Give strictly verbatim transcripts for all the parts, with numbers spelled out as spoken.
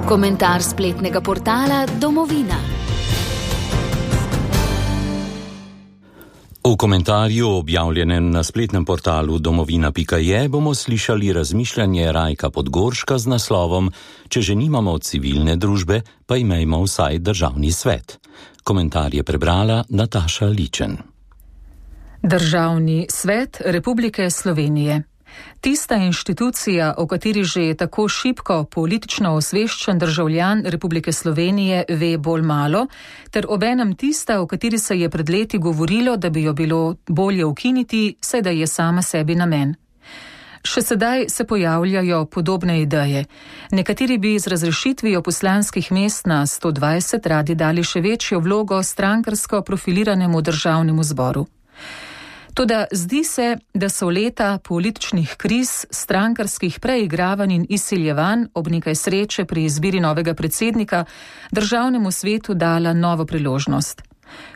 Komentar spletnega portala Domovina. V komentarju, objavljenem na spletnem portalu domovina pika je, bomo slišali razmišljanje Rajka Podgorška z naslovom Če že nimamo civilne družbe, pa imejmo vsaj državni svet. Komentar je prebrala Nataša Ličen. Državni svet Republike Slovenije. Tista inštitucija, o kateri že tako šibko politično osveščen državljan Republike Slovenije ve bolj malo, ter obenem tista, o kateri se je pred leti govorilo, da bi jo bilo bolje ukiniti, saj da je sama sebi namen. Še sedaj se pojavljajo podobne ideje. Nekateri bi z razrešitvijo poslanskih mest na sto dvajset radi dali še večjo vlogo strankarsko profiliranemu državnemu zboru. Toda zdi se, da so leta političnih kriz, strankarskih preigravanj in izsiljevanj ob nekaj sreče pri izbiri novega predsednika državnemu svetu dala novo priložnost.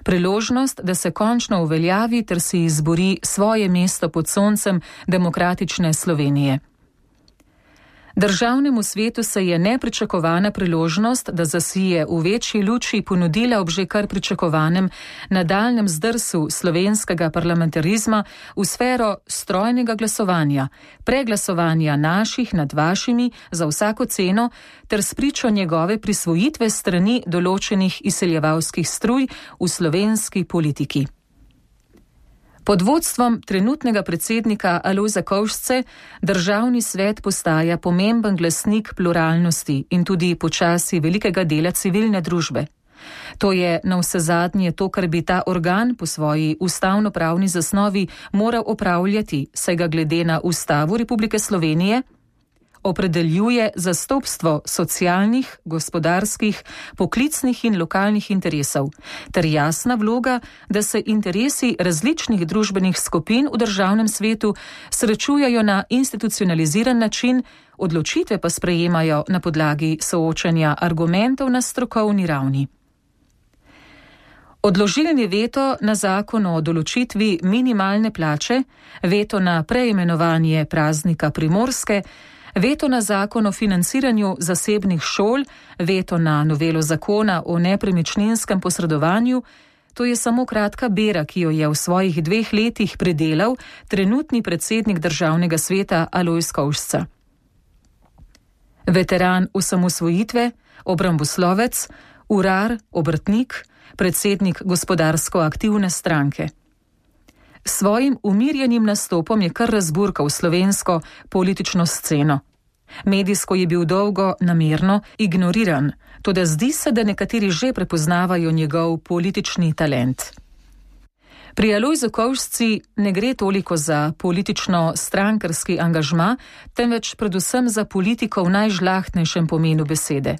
Priložnost, da se končno uveljavi ter si izbori svoje mesto pod soncem demokratične Slovenije. Državnemu svetu se je nepričakovana priložnost, da zasije v večji luči ponudila ob že kar pričakovanem nadaljnem zdrsu slovenskega parlamentarizma v sfero strojnega glasovanja, preglasovanja naših nad vašimi za vsako ceno ter spričo njegove prisvojitve strani določenih izseljevalskih struj v slovenski politiki. Pod vodstvom trenutnega predsednika Alojza Kovšce državni svet postaja pomemben glasnik pluralnosti in tudi počasi velikega dela civilne družbe. To je navsezadnje to, kar bi ta organ po svoji ustavnopravni zasnovi moral opravljati, saj ga glede na Ustavo Republike Slovenije opredeljuje zastopstvo socialnih, gospodarskih, poklicnih in lokalnih interesov, ter jasna vloga, da se interesi različnih družbenih skupin v državnem svetu srečujejo na institucionaliziran način, odločitve pa sprejemajo na podlagi soočanja argumentov na strokovni ravni. Odložilni veto na zakon o določitvi minimalne plače, veto na preimenovanje praznika Primorske, veto na zakon o financiranju zasebnih šol, veto na novelo zakona o nepremičninskem posredovanju, to je samo kratka bera, ki jo je v svojih dveh letih predelal trenutni predsednik državnega sveta Alojz Kovšca. Veteran osamosvojitve, obramboslovec, urar, obrtnik, predsednik gospodarsko aktivne stranke. S svojim umirjenim nastopom je kar razburkal slovensko politično sceno. Medijsko je bil dolgo namerno ignoriran, toda zdi se, da nekateri že prepoznavajo njegov politični talent. Pri Alojzu Kovšci ne gre toliko za politično-strankarski angažma, temveč predvsem za politiko v najžlahtnejšem pomenu besede.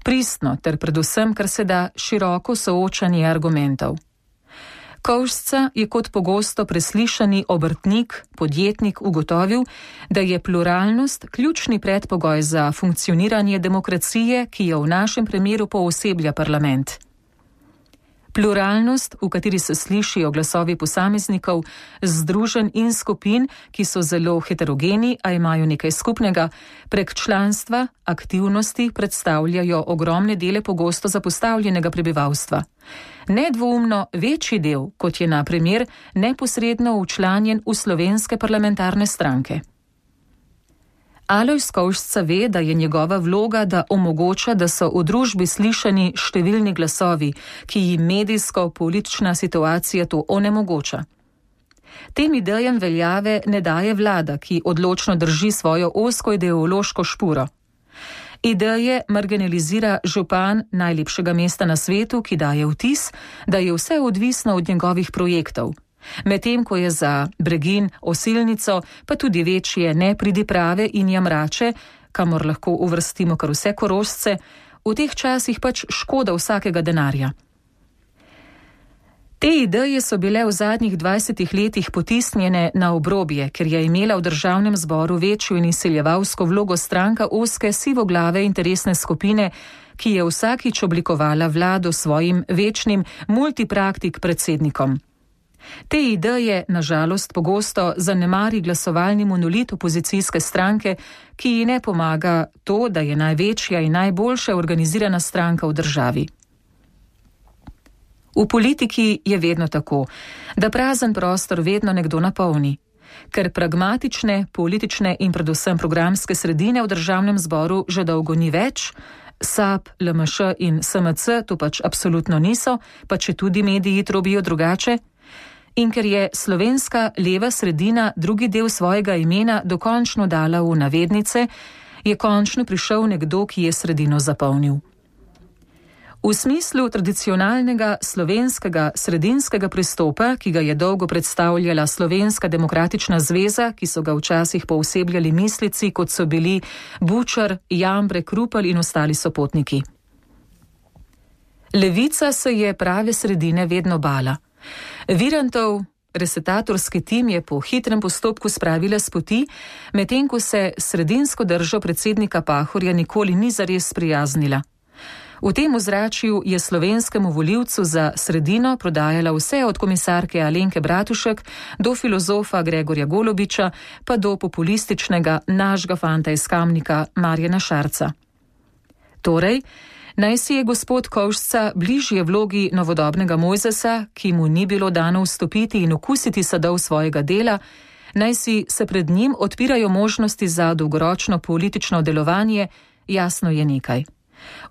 Pristno ter predvsem, kar se da široko soočanje argumentov. Kovšca je kot pogosto preslišani obrtnik, podjetnik ugotovil, da je pluralnost ključni predpogoj za funkcioniranje demokracije, ki jo v našem primeru pooseblja parlament. Pluralnost, v kateri se slišijo glasovi posameznikov, združenj in skupin, ki so zelo heterogeni, a imajo nekaj skupnega, prek članstva, aktivnosti predstavljajo ogromne dele pogosto zapostavljenega prebivalstva. Nedvoumno večji del, kot je na primer neposredno včlanjen v slovenske parlamentarne stranke. Alojz Kovšca ve, da je njegova vloga, da omogoča, da so v družbi slišani številni glasovi, ki jim medijsko-politična situacija to onemogoča. Tem idejam veljave ne daje vlada, ki odločno drži svojo ozko ideološko špuro. Ideje marginalizira župan najlepšega mesta na svetu, ki daje vtis, da je vse odvisno od njegovih projektov. Medtem ko je za Bregin, Osilnico, pa tudi večje nepridiprave in jamrače, kamor lahko uvrstimo kar vse Korošce, v teh časih pač škoda vsakega denarja. Te ideje so bile v zadnjih dvajsetih letih potisnjene na obrobje, ker je imela v državnem zboru večjo in izsiljevalsko vlogo stranka ozke sivoglave interesne skupine, ki je vsakič oblikovala vlado svojim večnim multipraktik predsednikom. Te ideje, nažalost, pogosto zanemari glasovalni monolit opozicijske stranke, ki ji ne pomaga to, da je največja in najboljša organizirana stranka v državi. V politiki je vedno tako, da prazen prostor vedno nekdo napolni. Ker pragmatične, politične in predvsem programske sredine v državnem zboru že dolgo ni več, S A B, L M Š in S M C to pač absolutno niso, pa če tudi mediji trobijo drugače, in ker je slovenska leva sredina drugi del svojega imena dokončno dala v navednice, je končno prišel nekdo, ki je sredino zapolnil. V smislu tradicionalnega slovenskega sredinskega pristopa, ki ga je dolgo predstavljala Slovenska demokratična zveza, ki so ga včasih poosebljali mislici, kot so bili Bučar, Jambrek, Rupel in ostali sopotniki. Levica se je prave sredine vedno bala. Virantov resetatorski tim je po hitrem postopku spravila s poti, medtem ko se sredinsko držo predsednika Pahorja nikoli ni zares sprijaznila. V tem ozračju je slovenskemu volivcu za sredino prodajala vse od komisarke Alenke Bratušek do filozofa Gregorja Golobiča pa do populističnega našega fanta iz Kamnika Marjana Šarca. Torej, naj si je gospod Kovšca bližje vlogi novodobnega Mojzesa, ki mu ni bilo dano vstopiti in okusiti sadov svojega dela, naj si se pred njim odpirajo možnosti za dolgoročno politično delovanje, jasno je nekaj.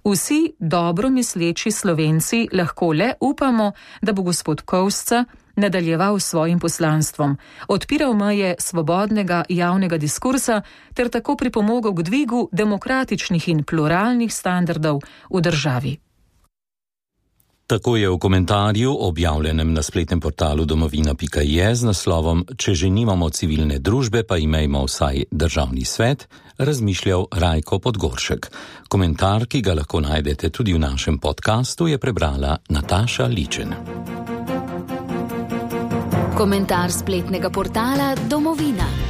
Vsi dobro misleči Slovenci lahko le upamo, da bo gospod Kovšca nadaljeval s svojim poslanstvom, odpiral meje svobodnega javnega diskursa ter tako pripomogel k dvigu demokratičnih in pluralnih standardov v državi. Tako je v komentarju, objavljenem na spletnem portalu domovina pika je z naslovom Če že nimamo civilne družbe, pa imejmo vsaj državni svet, razmišljal Rajko Podgoršek. Komentar, ki ga lahko najdete tudi v našem podkastu, je prebrala Nataša Ličen. Komentar spletnega portala Domovina.